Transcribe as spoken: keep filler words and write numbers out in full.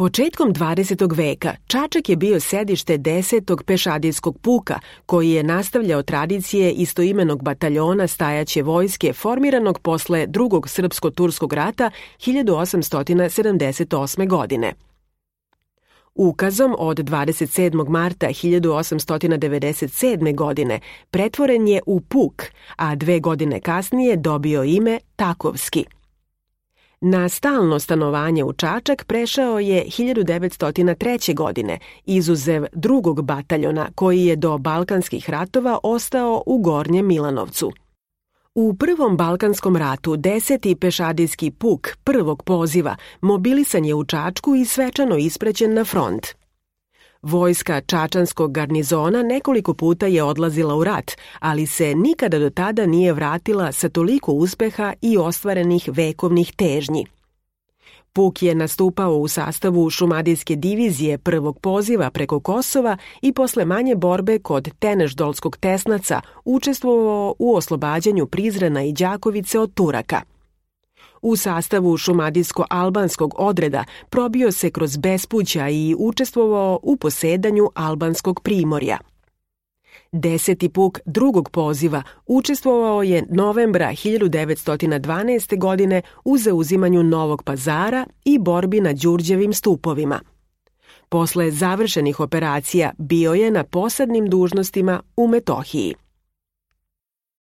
Početkom dvadesetog veka Čačak je bio sedište desetog pešadijskog puka, koji je nastavljao tradicije istoimenog bataljona stajaće vojske formiranog posle drugog srpsko-turskog rata hiljadu osamsto sedamdeset osme. godine. Ukazom od dvadeset sedmog marta hiljadu osamsto devedeset sedme. godine pretvoren je u puk, a dve godine kasnije dobio ime Takovski. Na stalno stanovanje u Čačak prešao je hiljadu devetsto treće. godine, izuzev drugog bataljona koji je do Balkanskih ratova ostao u Gornjem Milanovcu. U Prvom Balkanskom ratu deseti pešadijski puk prvog poziva mobilisan je u Čačku i svečano ispraćen na front. Vojska čačanskog garnizona nekoliko puta je odlazila u rat, ali se nikada do tada nije vratila sa toliko uspeha i ostvarenih vekovnih težnji. Puk je nastupao u sastavu šumadijske divizije prvog poziva preko Kosova i posle manje borbe kod Teneždolskog Tesnaca učestvovao u oslobađanju Prizrena i Đakovice od Turaka. U sastavu šumadijsko-albanskog odreda probio se kroz bespuća i učestvovao u posedanju albanskog primorja. Deseti puk drugog poziva učestvovao je novembra hiljadu devetsto dvanaeste. godine u zauzimanju Novog Pazara i borbi na Đurđevim stupovima. Posle završenih operacija bio je na posadnim dužnostima u Metohiji.